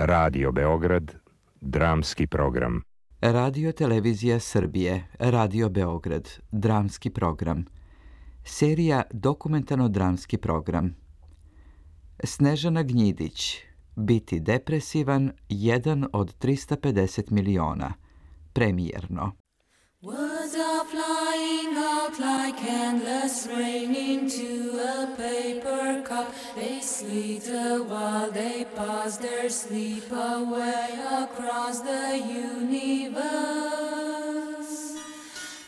Radio Beograd, dramski program. Radio Televizija Srbije, Radio Beograd, dramski program. Serija dokumentarno-dramski program. Snežana Gnjidić, Biti depresivan, 1 od 350 miliona. Premijerno. Words are flying out like endless rain into a paper cup. They slither while they pass their sleep away across the universe.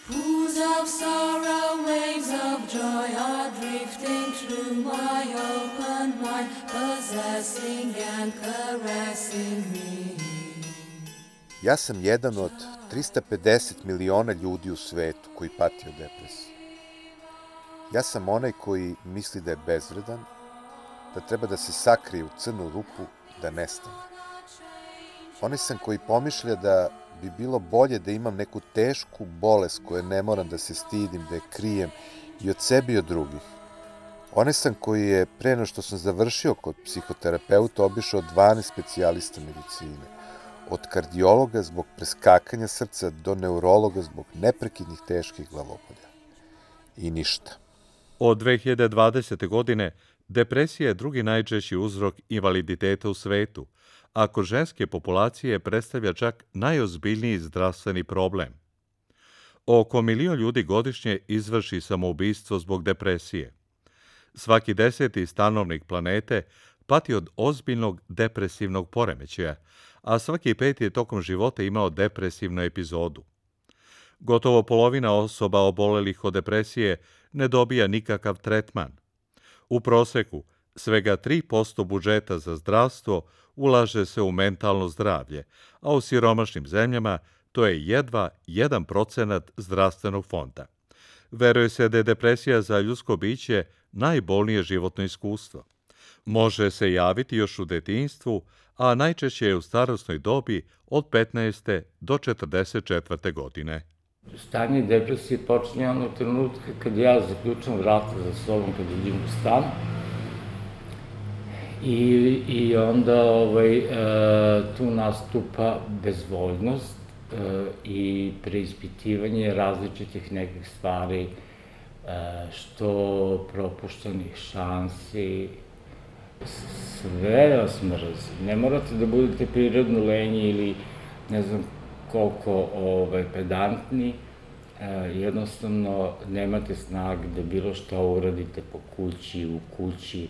Pools of sorrow, waves of joy are drifting through my open mind, possessing and caressing me. Ja sam jedan od 350 miliona ljudi u svetu koji pati od depresije. Ja sam onaj koji misli da je bezvredan, da treba da se sakrije u crnu rupu, da nestane. Onaj sam koji pomišlja da bi bilo bolje da imam neku tešku bolest koje ne moram da se stidim, da je krijem i od sebe i od drugih. Onaj sam koji je, pre nego što sam završio kod psihoterapeuta, obišao 12 specijalista medicine. Od kardiologa zbog preskakanja srca do neurologa zbog neprekidnih teških glavobolja. I ništa. Od 2020. godine depresija je drugi najčešći uzrok invaliditeta u svetu, a kod ženske populacije predstavlja čak najozbiljniji zdravstveni problem. Oko 1 milion ljudi godišnje izvrši samoubistvo zbog depresije. Svaki 10. stanovnik planete pati od ozbiljnog depresivnog poremećaja, a svaki 5. je tokom života imao depresivnu epizodu. Gotovo polovina osoba obolelih od depresije ne dobija nikakav tretman. U proseku, svega 3% budžeta za zdravstvo ulaže se u mentalno zdravlje, a u siromašnim zemljama to je jedva 1% zdravstvenog fonda. Veruje se da je depresija za ljudsko biće najbolnije životno iskustvo. Može se javiti još u detinjstvu, a najčešće je u starosnoj dobi od 15. do 44. godine. Stanje depresije počinje onog trenutka kad ja zaključam vrata za sobom, kad idem u stan. I onda tu nastupa bezvoljnost i preispitivanje različitih nekih stvari, što propuštenih šansi. Sve vas mrzi. Ne morate da budete prirodno lenji ili ne znam koliko pedantni. Jednostavno nemate snage da bilo šta uradite po kući, u kući.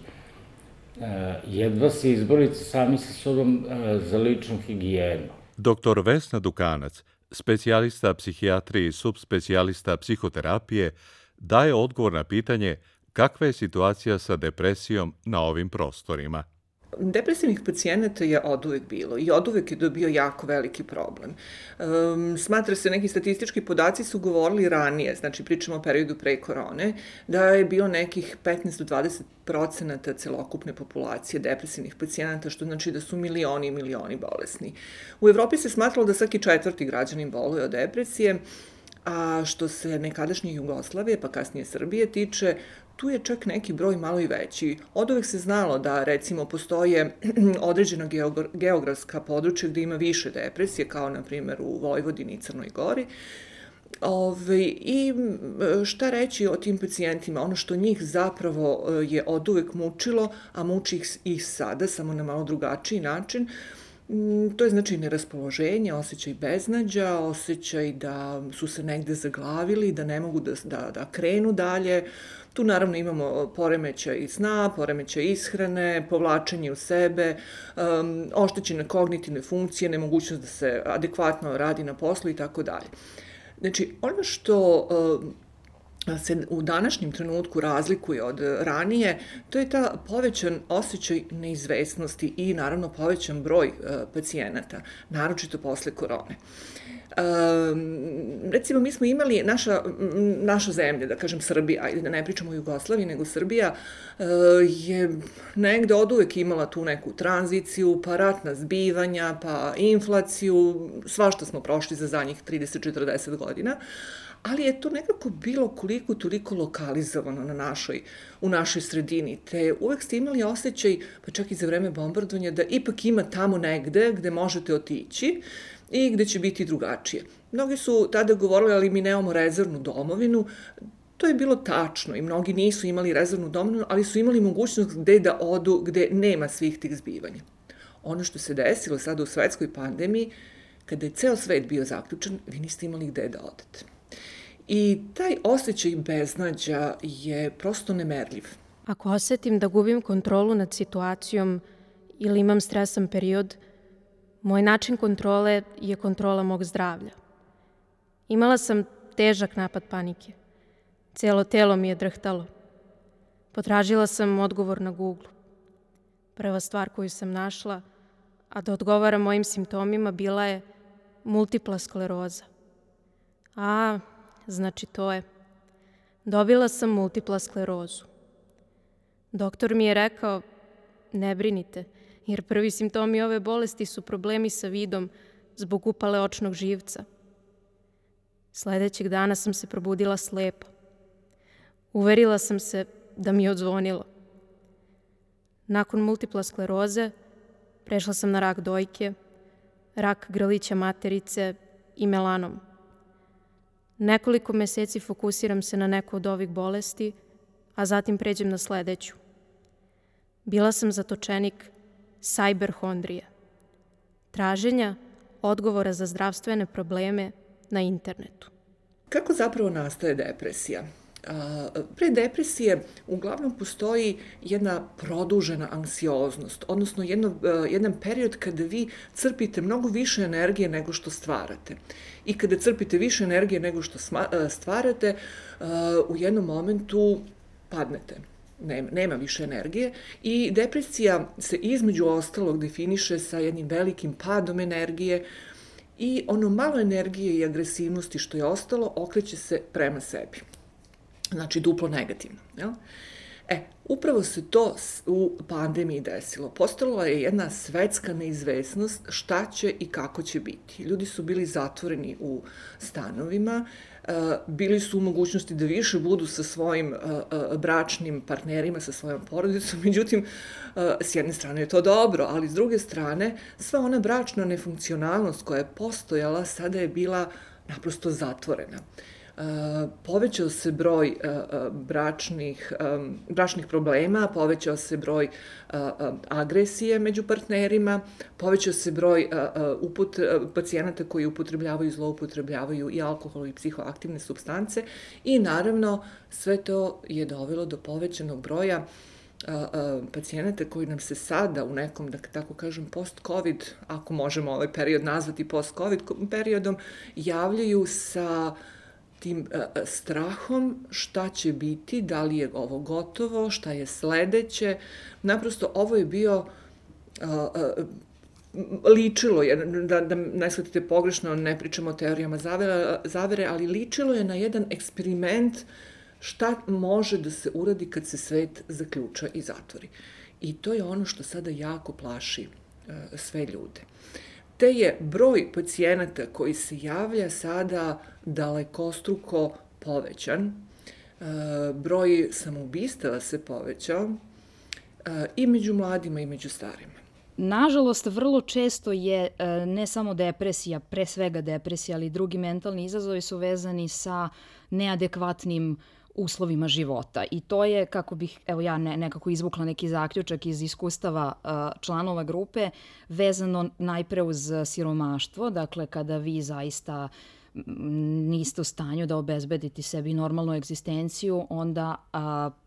Jedva se izborite sami sa sobom za ličnu higijenu. Dr. Vesna Dukanac, specijalista psihijatrije i subspecijalista psihoterapije, daje odgovor na pitanje kakva je situacija sa depresijom na ovim prostorima. Depresivnih pacijenata je oduvek bilo i oduvek je bio jako veliki problem. Smatra se, neki statistički podaci su govorili ranije, znači pričamo o periodu pre korone, da je bilo nekih 15 do 20% celokupne populacije depresivnih pacijenata, što znači da su milioni i milioni bolesni. U Evropi se smatralo da svaki 4. građanin boluje od depresije, a što se nekadašnje Jugoslavije, pa kasnije Srbije tiče, tu je čak neki broj malo i veći. Od uvek se znalo da, recimo, postoje određena geografska područja gde ima više depresije, kao, na primjer, u Vojvodini i Crnoj Gori. I šta reći o tim pacijentima? Ono što njih zapravo je od uvek mučilo, a muči ih sada, samo na malo drugačiji način, to je znači neraspoloženje, osjećaj beznađa, osjećaj da su se negde zaglavili, da ne mogu da krenu dalje. Tu naravno imamo poremećaj sna, poremećaj ishrane, povlačenje u sebe, oštećene kognitivne funkcije, nemogućnost da se adekvatno radi na poslu i tako dalje. Znači, ono što se u današnjem trenutku razlikuje od ranije, to je ta povećan osjećaj neizvesnosti i naravno povećan broj pacijenata, naročito posle korone. Recimo, mi smo imali, naša zemlja, da kažem Srbija, ajde da ne pričamo o Jugoslaviji, nego Srbija je negde oduvek imala tu neku tranziciju, pa ratna zbivanja, pa inflaciju, svašta smo prošli za zadnjih 30-40 godina, ali je to nekako bilo koliko toliko lokalizovano u našoj sredini, te uvek ste imali osjećaj, pa čak i za vreme bombardovanja, da ipak ima tamo negde gde možete otići i gde će biti drugačije. Mnogi su tada govorili, ali mi nemamo rezervnu domovinu. To je bilo tačno i mnogi nisu imali rezervnu domovinu, ali su imali mogućnost gde da odu, gde nema svih tih zbivanja. Ono što se desilo sada u svetskoj pandemiji, kada je ceo svet bio zaključan, vi niste imali gde da odete. I taj osjećaj beznađa je prosto nemerljiv. Ako osetim da gubim kontrolu nad situacijom ili imam stresan period, moj način kontrole je kontrola mog zdravlja. Imala sam težak napad panike. Celo telo mi je drhtalo. Potražila sam odgovor na Google. Prva stvar koju sam našla, a da odgovara mojim simptomima, bila je multipla skleroza. A, znači to je. Dobila sam multipla sklerozu. Doktor mi je rekao, ne brinite, jer prvi simptomi ove bolesti su problemi sa vidom zbog upale očnog živca. Sledećeg dana sam se probudila slepa. Uverila sam se da mi je odzvonilo. Nakon multipla skleroze prešla sam na rak dojke, rak grlića materice i melanom. Nekoliko meseci fokusiram se na neku od ovih bolesti, a zatim pređem na sledeću. Bila sam zatočenik sajberhondrije, traženja odgovora za zdravstvene probleme na internetu. Kako zapravo nastaje depresija? Pre depresije uglavnom postoji jedna produžena anksioznost, odnosno jedan period kada vi crpite mnogo više energije nego što stvarate. I kada crpite više energije nego što stvarate, u jednom momentu padnete. Nema više energije i depresija se između ostalog definiše sa jednim velikim padom energije i ono malo energije i agresivnosti što je ostalo okreće se prema sebi. Znači, duplo negativno. Jel? Upravo se to u pandemiji desilo. Postala je jedna svetska neizvesnost šta će i kako će biti. Ljudi su bili zatvoreni u stanovima, bili su u mogućnosti da više budu sa svojim bračnim partnerima, sa svojom porodicom, međutim, s jedne strane je to dobro, ali s druge strane, sva ona bračna nefunkcionalnost koja je postojala, sada je naprosto zatvorena. Povećao se broj bračnih problema, povećao se broj agresije među partnerima, povećao se broj pacijenata koji upotrebljavaju i zloupotrebljavaju i alkohol i psihoaktivne supstance i naravno sve to je dovelo do povećanog broja pacijenata koji nam se sada u nekom, da tako kažem, post-covid, ako možemo ovaj period nazvati post-covid periodom, javljaju sa tim strahom šta će biti, da li je ovo gotovo, šta je sledeće. Naprosto ovo je bio, ličilo je, da ne shvatite pogrešno, ne pričamo o teorijama zavere, ali ličilo je na jedan eksperiment šta može da se uradi kad se svet zaključa i zatvori. I to je ono što sada jako plaši sve ljude. Te je broj pacijenata koji se javlja sada dalekostruko povećan, broj samoubistava se povećao i među mladima i među starima. Nažalost, vrlo često je ne samo depresija, pre svega depresija, ali i drugi mentalni izazovi su vezani sa neadekvatnim uslovima života. I to je, kako bih, evo ja nekako izvukla neki zaključak iz iskustava članova grupe, vezano najpre uz siromaštvo, dakle kada vi zaista niste u stanju da obezbedite sebi normalnu egzistenciju, onda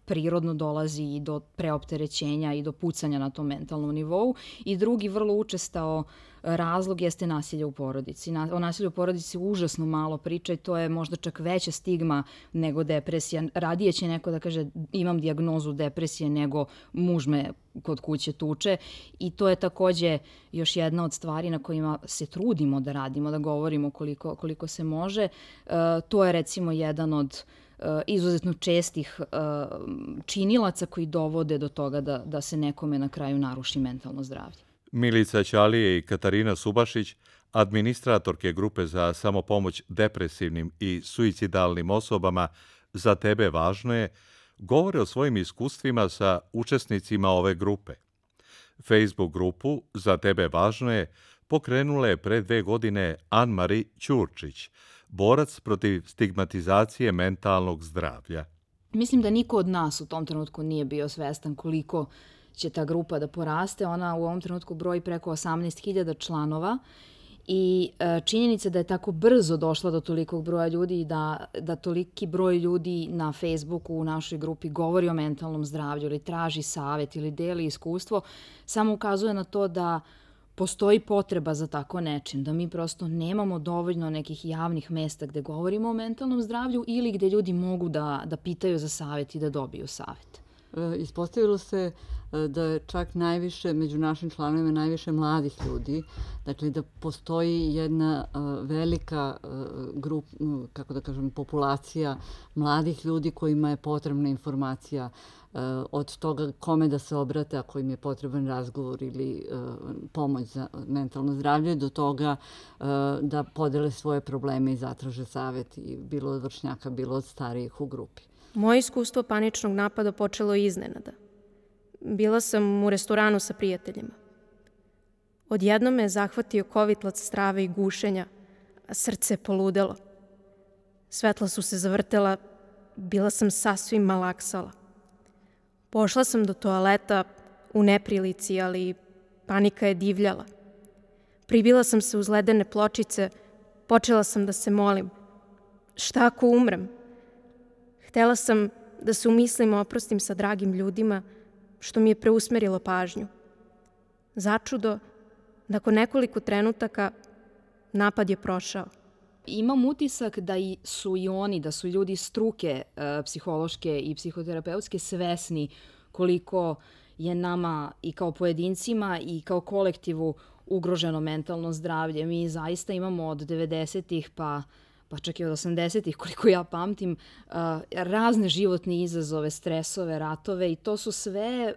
prirodno dolazi i do preopterećenja i do pucanja na tom mentalnom nivou. I drugi vrlo učestao razlog jeste nasilje u porodici. O nasilju u porodici užasno malo priča i to je možda čak veća stigma nego depresija. Radije će neko da kaže imam dijagnozu depresije nego muž me kod kuće tuče i to je takođe još jedna od stvari na kojima se trudimo da radimo, da govorimo koliko se može. To je recimo jedan od izuzetno čestih činilaca koji dovode do toga da se nekome na kraju naruši mentalno zdravlje. Milica Ćalije i Katarina Subašić, administratorke grupe za samopomoć depresivnim i suicidalnim osobama Za tebe važno je, govore o svojim iskustvima sa učesnicima ove grupe. Facebook grupu Za tebe važno je pokrenula je pre 2 godine Ann-Marie Ćurčić, borac protiv stigmatizacije mentalnog zdravlja. Mislim da niko od nas u tom trenutku nije bio svestan koliko će ta grupa da poraste. Ona u ovom trenutku broji preko 18.000 članova i činjenica da je tako brzo došla do tolikog broja ljudi i da toliki broj ljudi na Facebooku u našoj grupi govori o mentalnom zdravlju ili traži savet ili deli iskustvo, samo ukazuje na to da postoji potreba za tako nečim, da mi prosto nemamo dovoljno nekih javnih mesta gde govorimo o mentalnom zdravlju ili gde ljudi mogu da pitaju za savet i da dobiju savet. Ispostavilo se da je čak najviše, među našim članovima, najviše mladih ljudi. Dakle, da postoji jedna velika grupa, kako da kažem, populacija mladih ljudi kojima je potrebna informacija od toga kome da se obrate ako im je potreban razgovor ili pomoć za mentalno zdravlje, do toga da podele svoje probleme i zatraže savet, i bilo od vršnjaka, bilo od starijih u grupi. Moje iskustvo paničnog napada počelo je iznenada. Bila sam u restoranu sa prijateljima. Odjednom me je zahvatio kovitlac strave i gušenja, a srce je poludelo. Svetla su se zavrtela, bila sam sasvim malaksala. Pošla sam do toaleta u neprilici, ali panika je divljala. Pribila sam se uz ledene pločice, počela sam da se molim. Šta ako umrem? Htela sam da se u mislima oprostim sa dragim ljudima, što mi je preusmerilo pažnju. Začudo, nakon nekoliko trenutaka, napad je prošao. Imam utisak da su i oni, da su ljudi struke psihološke i psihoterapeutske svesni koliko je nama i kao pojedincima i kao kolektivu ugroženo mentalno zdravlje. Mi zaista imamo od 90-ih pa čak i od 80-ih, koliko ja pamtim, razne životne izazove, stresove, ratove, i to su sve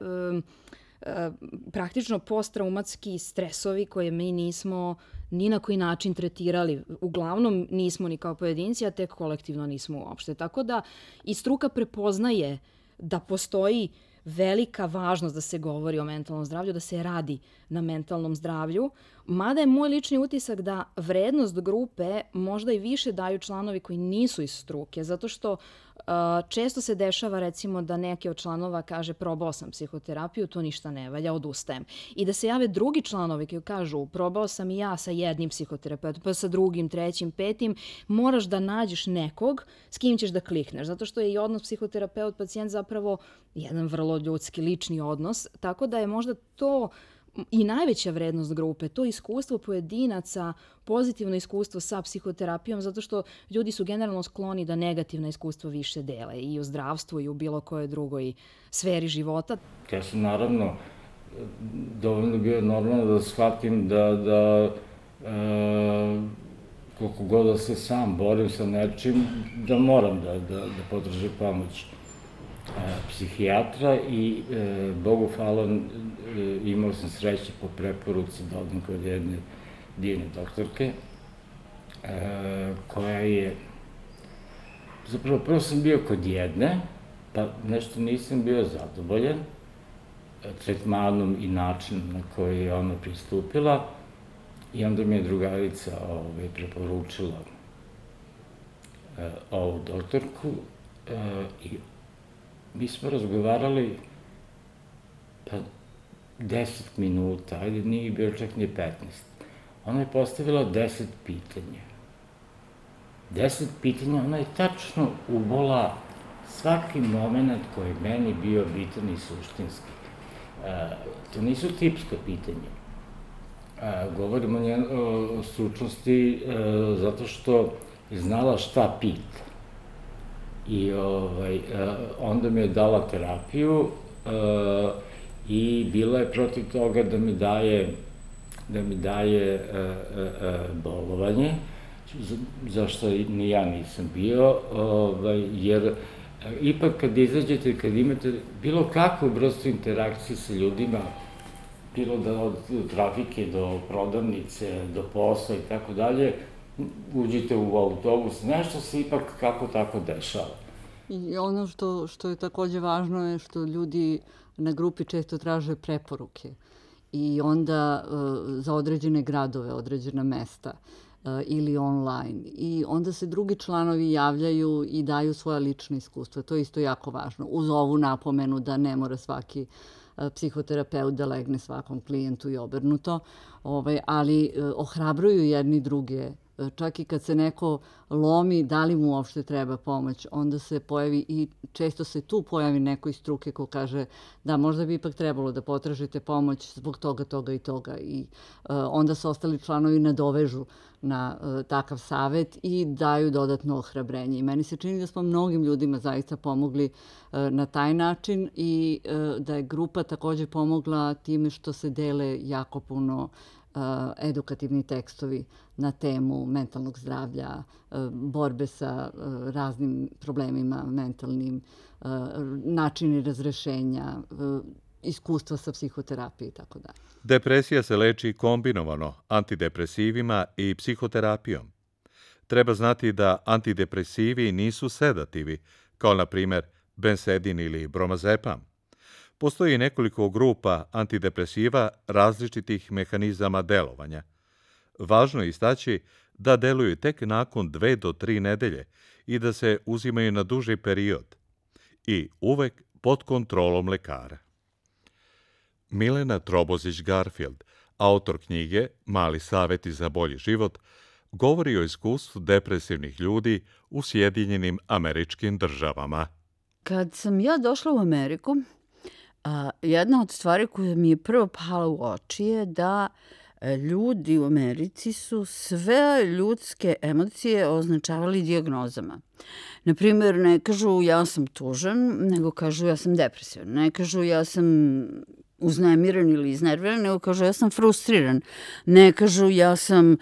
praktično posttraumatski stresovi koje mi nismo ni na koji način tretirali. Uglavnom nismo ni kao pojedinci, a tek kolektivno nismo uopšte. Tako da i struka prepoznaje da postoji velika važnost da se govori o mentalnom zdravlju, da se radi na mentalnom zdravlju, mada je moj lični utisak da vrednost grupe možda i više daju članovi koji nisu iz struke, zato što često se dešava, recimo, da neki od članova kaže probao sam psihoterapiju, to ništa ne valja, odustajem. I da se jave drugi članovi koji kažu probao sam i ja sa jednim psihoterapeutom, pa sa drugim, trećim, petim, moraš da nađeš nekog s kim ćeš da klikneš, zato što je i odnos psihoterapeut-pacijent zapravo jedan vrlo ljudski, lični odnos, tako da je možda to i najveća vrednost grupe, to iskustvo pojedinaca, pozitivno iskustvo sa psihoterapijom, zato što ljudi su generalno skloni da negativna iskustva više dele i u zdravstvu i u bilo kojoj drugoj sferi života. Ja sam naravno dovoljno bio normalno da shvatim da koliko god da se sam borim sa nečim, da moram da potražim pomoć psihijatra i Bogu hvala imao sam sreće po preporuci da odem kod jedne divne doktorke koja je, zapravo prvo sam bio kod jedne, pa nešto nisam bio zadovoljan tretmanom i načinom na koji je ona pristupila, i onda mi je drugarica preporučila ovu doktorku i mi smo razgovarali 10 minuta, ajde, nije bilo čak ni 15. Ona je postavila 10 pitanja. 10 pitanja, ona je tačno ubola svaki moment koji je meni bio bitan i suštinski. To nisu tipska pitanja. Govorimo o stručnosti zato što je znala šta pita. I onda mi je dala terapiju i bila je protiv toga da mi daje bolovanje, zašto ni ja nisam bio, jer ipak kad izađete, kad imate bilo kakvu vrstu interakcije sa ljudima, bilo da od trafike do prodavnice, do posla i tako dalje, uđete u autobus, nešto se ipak kako tako dešava. I ono što je takođe važno je što ljudi na grupi često traže preporuke i onda za određene gradove, određena mesta ili online. I onda se drugi članovi javljaju i daju svoja lična iskustva. To je isto jako važno. Uz ovu napomenu da ne mora svaki psihoterapeut da legne svakom klijentu i obrnuto, ali ohrabruju jedni druge. Čak i kad se neko lomi, da li mu uopšte treba pomoć, onda se pojavi i često se tu pojavi neko iz struke ko kaže da možda bi ipak trebalo da potražite pomoć zbog toga, toga i toga. I onda se ostali članovi nadovežu na takav savet i daju dodatno ohrabrenje. I meni se čini da smo mnogim ljudima zaista pomogli na taj način i da je grupa takođe pomogla time što se dele jako puno edukativni tekstovi na temu mentalnog zdravlja, borbe sa raznim problemima mentalnim, načini razrešenja, iskustva sa psihoterapije i tako dalje. Depresija se leči kombinovano antidepresivima i psihoterapijom. Treba znati da antidepresivi nisu sedativi, kao na primer bensedin ili bromazepam. Postoji nekoliko grupa antidepresiva različitih mehanizama delovanja. Važno je istaći da deluju tek nakon 2 do 3 nedelje i da se uzimaju na duži period i uvek pod kontrolom lekara. Milena Trobozić-Garfield, autor knjige Mali saveti za bolji život, govori o iskustvu depresivnih ljudi u Sjedinjenim Američkim Državama. Kad sam ja došla u Ameriku, jedna od stvari koja mi je prvo pala u oči je da ljudi u Americi su sve ljudske emocije označavali dijagnozama. Naprimjer, ne kažu ja sam tužan, nego kažu ja sam depresivan. Ne kažu ja sam uznemiren ili iznerviran, nego kažu ja sam frustriran. Ne kažu ja sam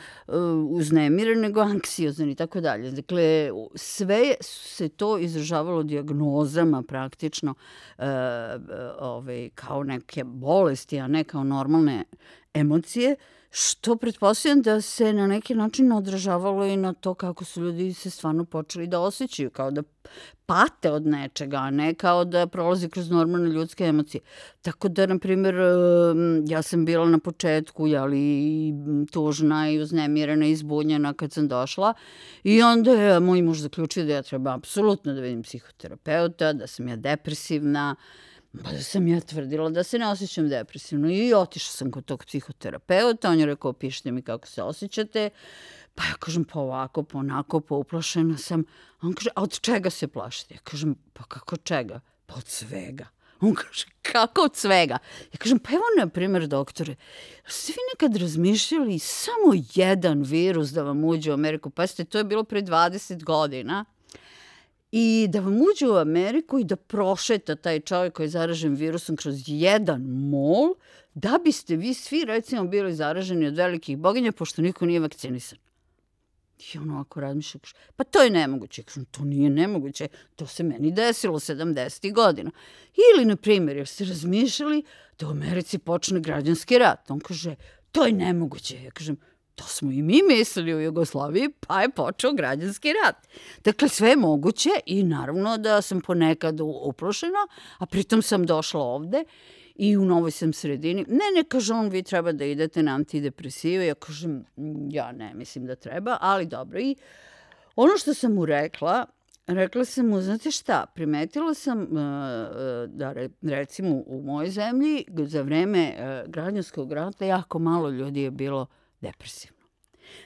uznemiren, nego anksiozan i tako dalje. Dakle, sve se to izražavalo dijagnozama praktično kao neke bolesti, a ne kao normalne emocije, što pretpostavljam da se na neki način odražavalo i na to kako su ljudi se stvarno počeli da osjećaju, kao da pate od nečega, a ne kao da prolazi kroz normalne ljudske emocije. Tako da, na primjer, ja sam bila na početku tužna i uznemirena i zbunjena kad sam došla i onda je moj muž zaključio da ja treba apsolutno da vidim psihoterapeuta, da sam ja depresivna, pa da sam ja tvrdila da se ne osjećam depresivno i otišla sam kod tog psihoterapeuta, on je rekao opišite mi kako se osjećate, pa ja kažem pa ovako, pa onako, pa uplašena sam. On kaže, a od čega se plašite? Ja kažem, pa kako čega? Pa od svega. On kaže, kako od svega? Ja kažem, pa evo na primjer doktore, ste vi nekad razmišljali samo jedan virus da vam uđe u Ameriku? Pa to je bilo pre 20 godina. I da vam uđe u Ameriku i da prošeta taj čovjek koji je zaražen virusom kroz jedan mol, da biste vi svi recimo bili zaraženi od velikih boginja, pošto niko nije vakcinisan. I on ovako razmišlja, pa to je nemoguće. Kažem, to nije nemoguće, to se meni desilo 70. godina. Ili, na primjer, jer ste razmišljali da u Americi počne građanski rat. On kaže, to je nemoguće. Ja kažem, to smo i mi mislili u Jugoslaviji, pa je počeo građanski rat. Dakle, sve je moguće i naravno da sam ponekad uplašena, a pritom sam došla ovde i u novoj sam sredini. Ne, kaže on, vi treba da idete na antidepresive. Ja kažem, ja ne mislim da treba, ali dobro. I ono što sam mu rekla sam mu, znate šta, primetila sam da recimo u mojoj zemlji za vreme građanskog rata jako malo ljudi je bilo depresivno.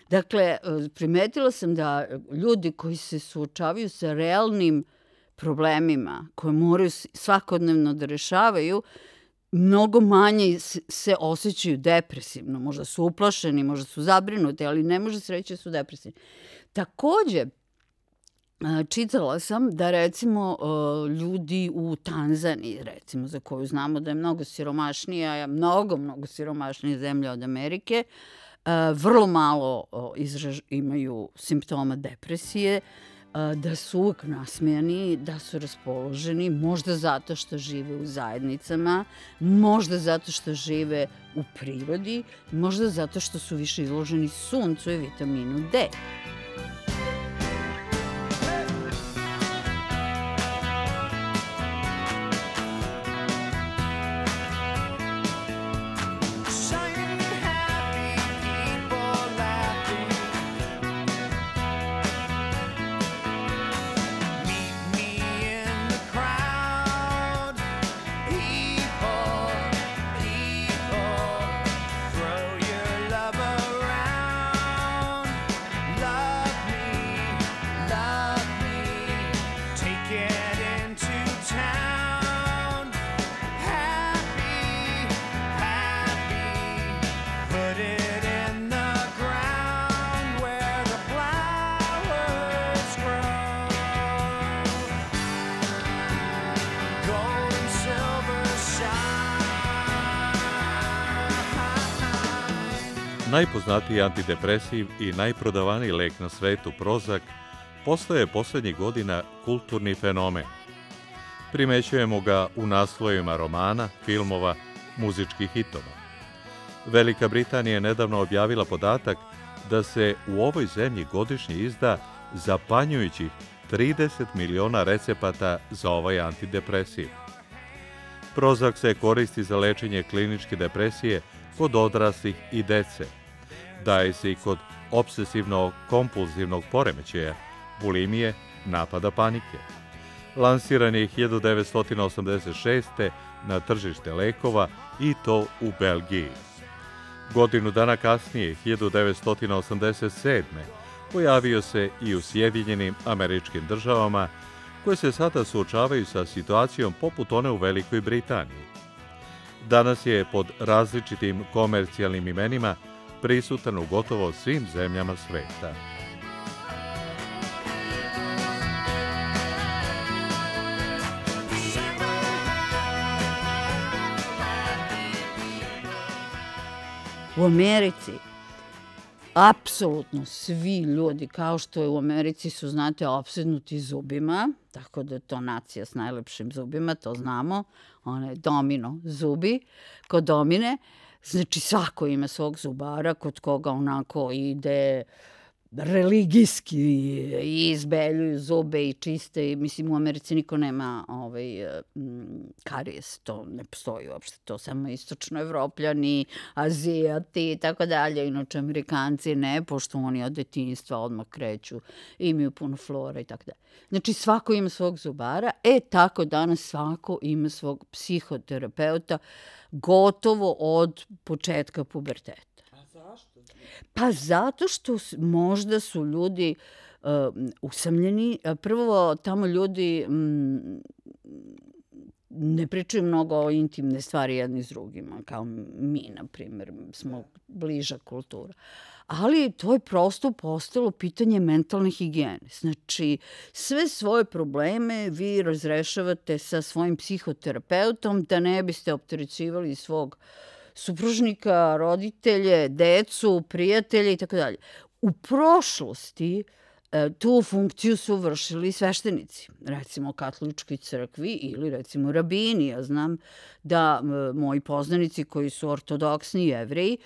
Dakle, primetila sam da ljudi koji se suočavaju sa realnim problemima koje moraju svakodnevno da rešavaju, mnogo manje se osjećaju depresivno. Možda su uplašeni, možda su zabrinuti, ali ne može se reći da su depresivni. Takođe, čitala sam da recimo ljudi u Tanzaniji, recimo za koju znamo da je mnogo siromašnija, mnogo siromašnija zemlja od Amerike, vrlo malo imaju simptoma depresije. da su uvek nasmejani, da su raspoloženi, možda zato što žive u zajednicama, možda zato što žive u prirodi, možda zato što su više izloženi suncu i vitaminu D. Najpoznatiji antidepresiv i najprodavaniji lek na svetu, Prozac, postaje poslednjih godina kulturni fenomen. Primećujemo ga u naslovima romana, filmova, muzičkih hitova. Velika Britanija je nedavno objavila podatak da se u ovoj zemlji godišnje izda zapanjujućih 30 miliona recepata za ovaj antidepresiv. Prozac se koristi za lečenje kliničke depresije kod odraslih i dece. Daje se i kod obsesivno-kompulzivnog poremećaja, bulimije, napada panike. Lansiran je 1986. na tržište lekova i to u Belgiji. Godinu dana kasnije, 1987. pojavio se i u Sjedinjenim Američkim Državama, koje se sada suočavaju sa situacijom poput one u Velikoj Britaniji. Danas je pod različitim komercijalnim imenima prisutan u gotovo svim zemljama sveta. U Americi apsolutno svi ljudi, kao što je u Americi su, znate, opsednuti zubima, tako da je to nacija s najlepšim zubima, to znamo, one domino zubi, kod domine, znači svako ima svog zubara kod koga onako ide religijski i izbeljuju zube i čiste. Mislim, u Americi niko nema karijes, to ne postoji uopšte, to samo istočnoevropljani, Azijati i tako dalje. Inače, Amerikanci ne, pošto oni od detinjstva odmah kreću, imaju puno flora i tako dalje. Znači, svako ima svog zubara, tako danas svako ima svog psihoterapeuta, gotovo od početka puberteta. Pa zato što možda su ljudi usamljeni. Prvo, tamo ljudi ne pričaju mnogo o intimne stvari jedni s drugima, kao mi, na primjer, smo bliža kultura. Ali to je prosto postalo pitanje mentalne higijene. Znači, sve svoje probleme vi razrešavate sa svojim psihoterapeutom da ne biste opterećivali svog supružnika, roditelje, decu, prijatelje i tako dalje. U prošlosti tu funkciju su vršili sveštenici, recimo u katoličkoj crkvi ili recimo rabini. Ja znam da moji poznanici koji su ortodoksni Jevreji,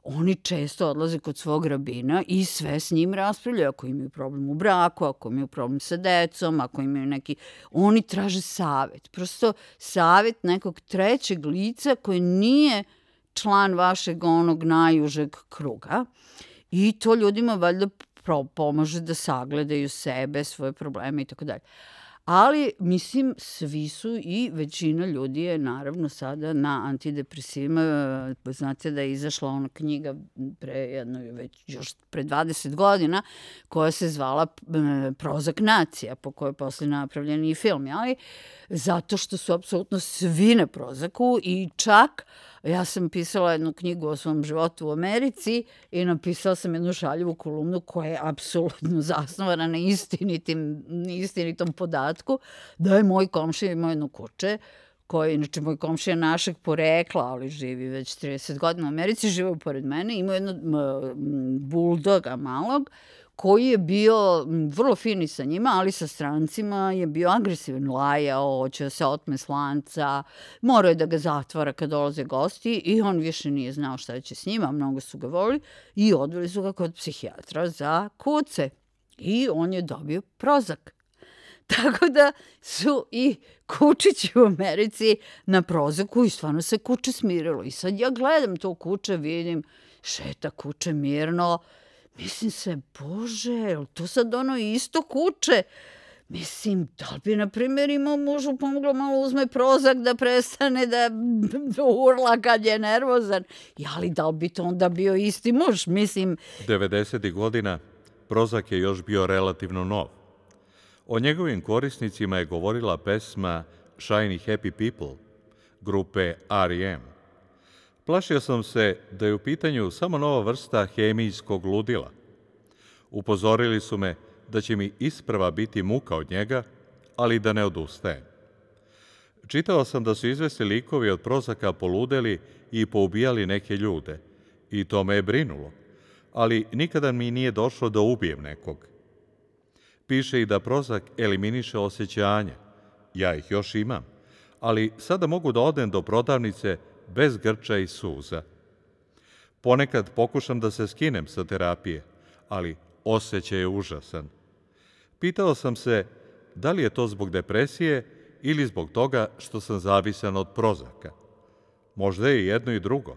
oni često odlaze kod svog rabina i sve s njim raspravljaju. Ako imaju problem u braku, ako imaju problem sa decom, ako imaju neki... Oni traže savet. Prosto savet nekog trećeg lica koji nije član vašeg onog najužeg kruga. I to ljudima valjda pomaže da sagledaju sebe, svoje probleme i tako dalje. Ali, mislim, svi su i većina ljudi je naravno sada na antidepresivima. Znate da je izašla ona knjiga još pre 20 godina koja se zvala Prozac nacija, po kojoj je posle napravljen i film. Ali zato što su apsolutno svi na Prozacu i čak ja sam pisala jednu knjigu o svom životu u Americi i napisala sam jednu šaljivu kolumnu koja je apsolutno zasnovana na istinitom podatku da je moj komšija imao jedno kuće koji, inače, moj komšija našeg porekla, ali živi već 30 godina u Americi, živao pored mene, imao jednog buldoga malog koji je bio vrlo fini sa njima, ali sa strancima je bio agresivan, lajao, hoće da se otme s lanca, morao je da ga zatvara kad dolaze gosti i on više nije znao šta će s njima, mnogo su ga volili i odveli su ga kod psihijatra za kuce. I on je dobio Prozak. Tako da su i kučići u Americi na Prozaku i stvarno se kuče smirilo. I sad ja gledam to kuče, vidim, šeta kuče mirno. Mislim se, bože, je li to sad ono isto kuče? Mislim, da li bi, na primjer, imao mužu pomoglo malo uzme Prozak da prestane da urla kad je nervozan? Ali da li bi to onda bio isti muž? Mislim... 90. godina Prozak je još bio relativno nov. O njegovim korisnicima je govorila pesma Shiny Happy People grupe R.E.M. Plašio sam se da je u pitanju samo nova vrsta hemijskog ludila. Upozorili su me da će mi isprva biti muka od njega, ali da ne odustajem. Čitao sam da su izvesni likovi od Prozaka poludeli i poubijali neke ljude, i to me je brinulo, ali nikada mi nije došlo da ubijem nekog. Piše i da Prozak eliminiše osjećanja. Ja ih još imam, ali sada mogu da odem do prodavnice bez grča i suza. Ponekad pokušam da se skinem sa terapije, ali osjećaj je užasan. Pitao sam se da li je to zbog depresije ili zbog toga što sam zavisan od Prozaka. Možda je jedno i drugo.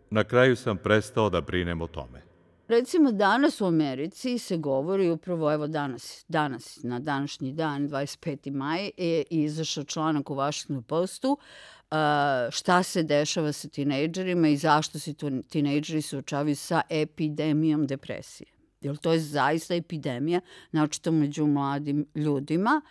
Na kraju sam prestao da brinem o tome. Recimo, danas u Americi se govori upravo, evo danas, na današnji dan, 25. maj, je izašao članak u Washington Postu šta se dešava sa tinejdžerima i zašto se tinejdžeri suočavaju sa epidemijom depresije. Jer to je zaista epidemija, naočito među mladim ljudima.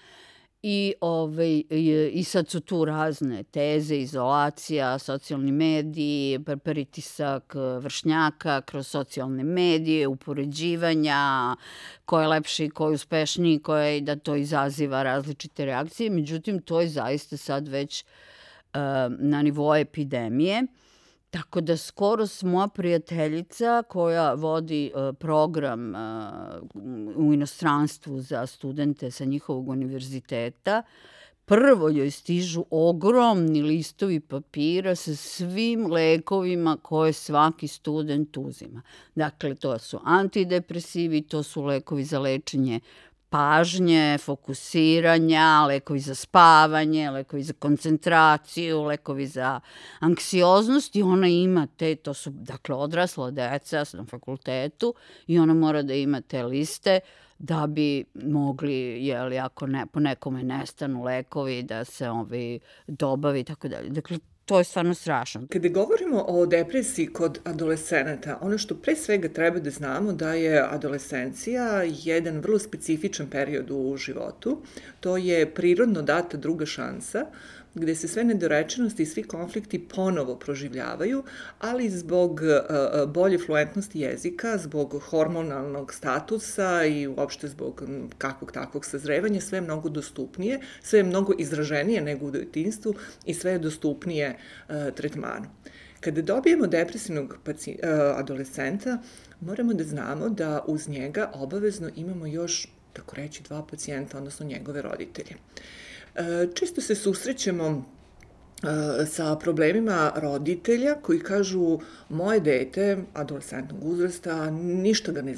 I sad su tu razne teze, izolacija, socijalni mediji, pritisak vršnjaka kroz socijalne medije, upoređivanja, ko je lepši, ko je uspešniji, da to izaziva različite reakcije. Međutim, to je zaista sad već na nivou epidemije. Tako da skoro moja prijateljica koja vodi program u inostranstvu za studente sa njihovog univerziteta, prvo joj stižu ogromni listovi papira sa svim lekovima koje svaki student uzima. Dakle, to su antidepresivi, to su lekovi za lečenje pažnje, fokusiranja, lekovi za spavanje, lekovi za koncentraciju, lekovi za anksioznost i ona ima to su dakle odrasla deca na fakultetu i ona mora da ima te liste da bi mogli, ako po nekome nestanu lekovi, da se dobavi i tako dalje. Dakle, to je stvarno strašno. Kada govorimo o depresiji kod adolescenata, ono što pre svega treba da znamo da je adolescencija jedan vrlo specifičan period u životu. To je prirodno data druga šansa, gde se sve nedorečenosti i svi konflikti ponovo proživljavaju, ali zbog bolje fluentnosti jezika, zbog hormonalnog statusa i uopšte zbog kakvog takvog sazrevanja, sve je mnogo dostupnije, sve je mnogo izraženije nego u detinjstvu i sve je dostupnije tretmanu. Kada dobijemo depresivnog adolescenta, moramo da znamo da uz njega obavezno imamo još, tako reći, 2 pacijenta, odnosno njegove roditelje. Često se susrećemo sa problemima roditelja koji kažu moje dete adolescentnog uzrasta, ništa ga ne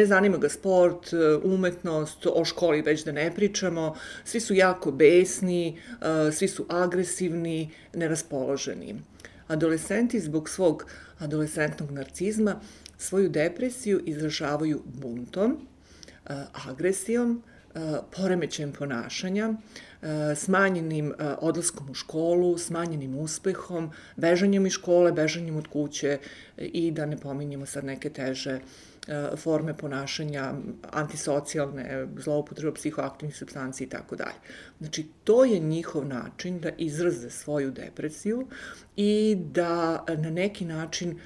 zanima ga sport, umetnost, o školi već da ne pričamo, svi su jako besni, svi su agresivni, neraspoloženi. Adolescenti zbog svog adolescentnog narcizma svoju depresiju izražavaju buntom, agresijom, poremećajem ponašanja, smanjenim odlaskom u školu, smanjenim uspehom, bežanjem iz škole, bežanjem od kuće i da ne pominjemo sad neke teže forme ponašanja, antisocijalne, zloupotreba psihoaktivnih supstanci i tako dalje. Znači, to je njihov način da izraze svoju depresiju i da na neki način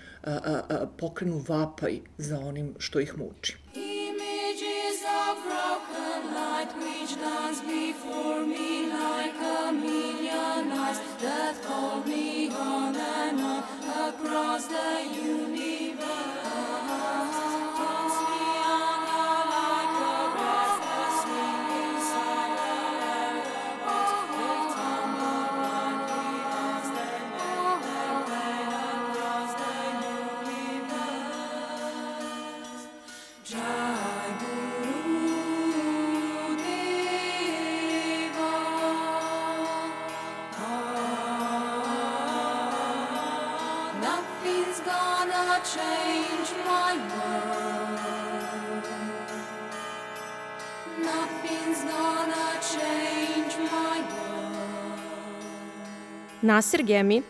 pokrenu vapaj za onim što ih muči. Which dance before me like a million eyes that called me on and on across the universe. Dance me change my world. Nothing's gonna change my world. Nasir Gemi,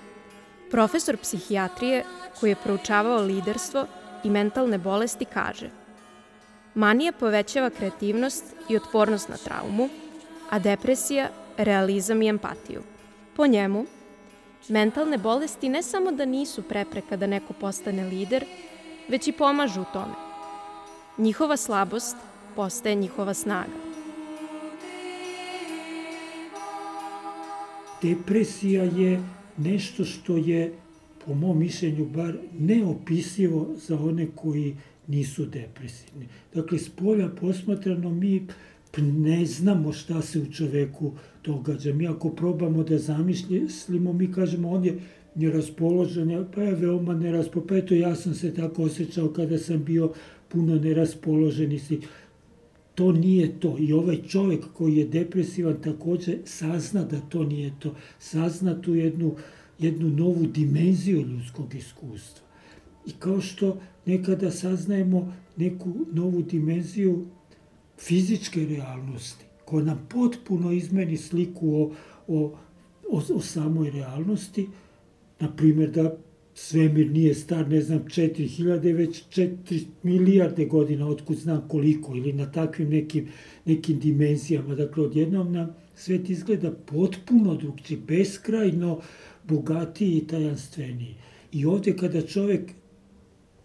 profesor psihijatrije koji je proučavao liderstvo i mentalne bolesti, kaže: manija povećava kreativnost i otpornost na traumu, a depresija realizam i empatiju. Po njemu, mentalne bolesti ne samo da nisu prepreka da neko postane lider, već i pomažu u tome. Njihova slabost postaje njihova snaga. Depresija je nešto što je, po mom mišljenju bar, neopisivo za one koji nisu depresivni. Dakle, s polja posmatrano mi ne znamo šta se u čoveku događa. Mi ako probamo da zamislimo, mi kažemo on je neraspoložen, pa je veoma neraspoložen, pa eto ja sam se tako osjećao kada sam bio puno neraspoložen i si. To nije to. I ovaj čovek koji je depresivan takođe sazna da to nije to. Sazna tu jednu novu dimenziju ljudskog iskustva. I kao što nekada saznajemo neku novu dimenziju fizičke realnosti, koja nam potpuno izmeni sliku o samoj realnosti, na primjer da svemir nije star, 4000, već 4 milijarde godina, otkud znam koliko, ili na takvim nekim dimenzijama. Dakle, odjednom nam svet izgleda potpuno drugčiji, beskrajno bogatiji i tajanstveniji. I ovde kada čovek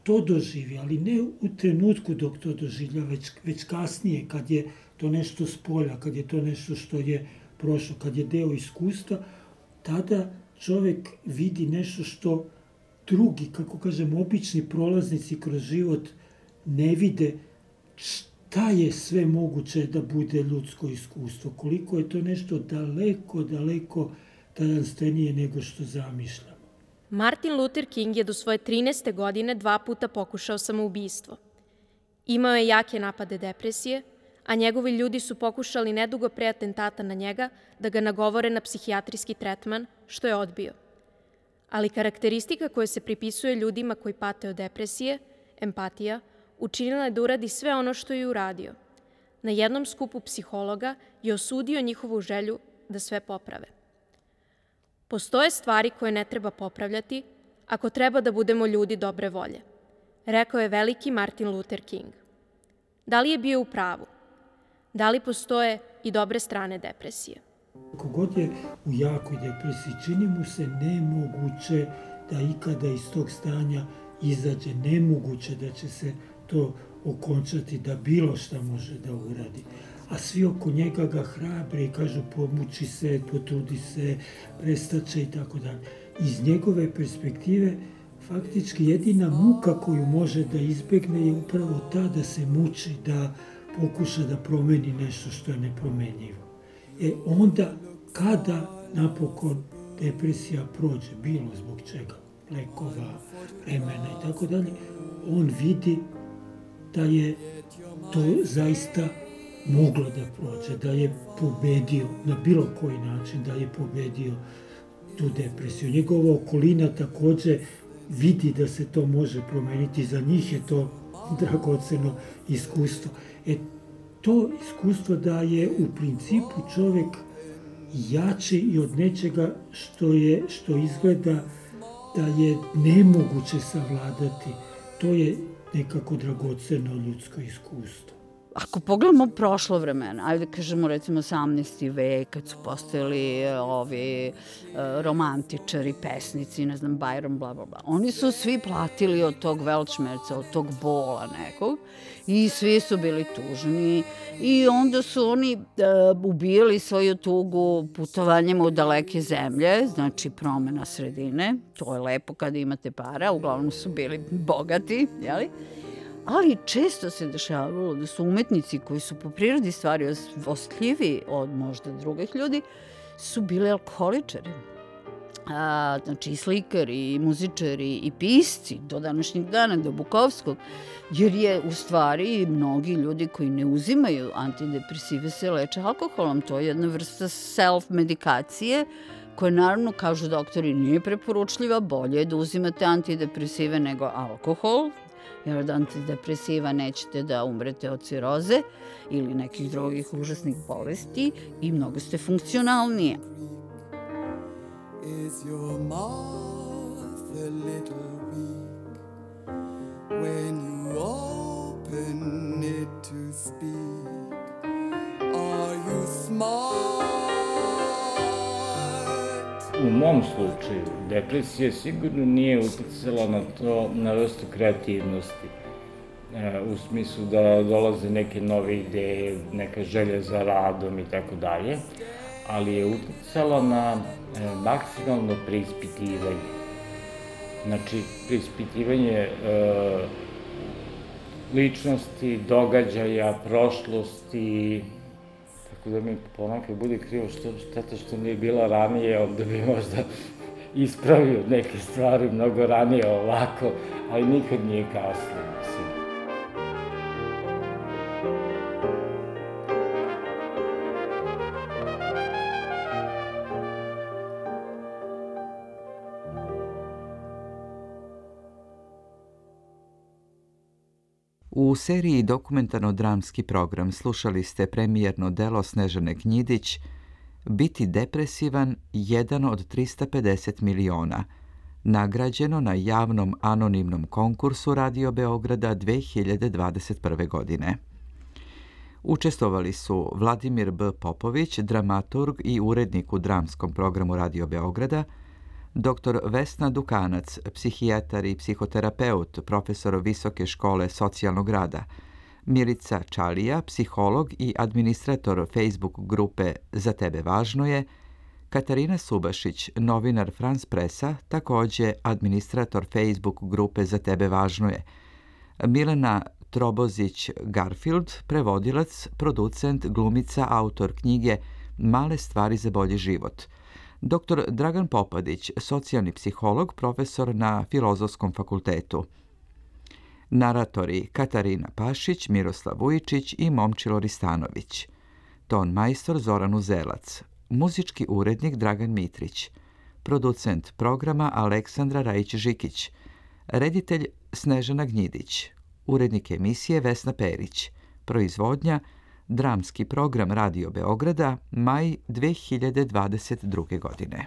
to doživi, ali ne u trenutku dok to doživlja, već kasnije, kad je to nešto s polja, kad je to nešto što je prošlo, kad je deo iskustva, tada čovek vidi nešto što drugi, kako kažem, obični prolaznici kroz život ne vide, šta je sve moguće da bude ljudsko iskustvo, koliko je to nešto daleko, daleko tajanstvenije nego što zamišljamo. Martin Luther King je do svoje 13. godine 2 puta pokušao samoubistvo. Imao je jake napade depresije, a njegovi ljudi su pokušali nedugo pre atentata na njega da ga nagovore na psihijatrijski tretman, što je odbio. Ali karakteristika koja se pripisuje ljudima koji pate od depresije, empatija, učinila je da uradi sve ono što je uradio. Na jednom skupu psihologa je osudio njihovu želju da sve poprave. Postoje stvari koje ne treba popravljati ako treba da budemo ljudi dobre volje, rekao je veliki Martin Luther King. Da li je bio u pravu? Da li postoje i dobre strane depresije? Kogod je u jakoj depresiji, čini mu se nemoguće da ikada iz tog stanja izađe, nemoguće da će se to okončati, da bilo šta može da uradi. A svi oko njega ga hrabre i kažu pomuči se, potrudi se, prestaće i tako dalje. Iz njegove perspektive, faktički jedina muka koju može da izbegne je upravo ta da se muči, da pokuša da promeni nešto što je nepromenjivo. Onda, kada napokon depresija prođe, bilo zbog čega, lekova, vremena i tako dalje, on vidi da je to zaista moglo da prođe, da je pobedio na bilo koji način, da je pobedio tu depresiju. Njegova okolina takođe vidi da se to može promeniti, za njih je to dragoceno iskustvo. To iskustvo da je u principu čovek jači i od nečega što izgleda da je nemoguće savladati, to je nekako dragoceno ljudsko iskustvo. Ako pogledamo prošlo vremena, ajde kažemo recimo 18. vek, kad su postojali ovi romantičari, pesnici, ne znam, Byron, bla, bla, bla. Oni su svi platili od tog Weltschmerza, od tog bola nekog i svi su bili tužni i onda su oni ubijali svoju tugu putovanjem u daleke zemlje, znači promena sredine, to je lepo kada imate para, uglavnom su bili bogati, jeli? Ali često se dešavalo da su umetnici koji su po prirodi stvari osjetljivi od možda drugih ljudi, su bili alkoholičari. Znači i slikari, i muzičari, i pisci do današnjeg dana, do Bukovskog, jer je u stvari mnogi ljudi koji ne uzimaju antidepresive se leče alkoholom. To je jedna vrsta self-medikacije koja naravno, kažu doktori, nije preporučljiva, bolje je da uzimate antidepresive nego alkohol, jer od antidepresiva nećete da umrete od ciroze ili nekih drugih užasnih bolesti i mnogo ste funkcionalnije. Is your mouth a little weak when you open it to speak? Are you smart? U mom slučaju, depresija sigurno nije uticala na to, na vrstu kreativnosti. U smislu da dolaze neke nove ideje, neka želja za radom i tako dalje, ali je uticala na maksimalno preispitivanje. Znači, preispitivanje ličnosti, događaja, prošlosti, tako da mi ponekad bude krivo šteta što nije bila ranije, onda bi možda ispravio neke stvari mnogo ranije ovako, ali nikad nije kasno, mislim. U seriji dokumentarno-dramski program slušali ste premijerno delo Snežane Gnjidić Biti depresivan, jedan od 350 miliona, nagrađeno na javnom anonimnom konkursu Radio Beograda 2021. godine. Učestvovali su Vladimir B. Popović, dramaturg i urednik u dramskom programu Radio Beograda, dr. Vesna Dukanac, psihijatar i psihoterapeut, profesor Visoke škole socijalnog rada, Milica Čalija, psiholog i administrator Facebook grupe Za tebe važno je, Katarina Subašić, novinar France Pressa, takođe administrator Facebook grupe Za tebe važno je, Milena Trobozić-Garfield, prevodilac, producent, glumica, autor knjige Male stvari za bolji život, dr. Dragan Popadić, socijalni psiholog, profesor na Filozofskom fakultetu. Naratori Katarina Pašić, Miroslav Vujičić i Momčilo Ristanović. Ton majstor Zoran Uzelac. Muzički urednik Dragan Mitrić. Producent programa Aleksandra Rajić-Žikić. Reditelj Snežana Gnjidić. Urednik emisije Vesna Perić. Proizvodnja Dramski program Radio Beograda, maj 2022. godine.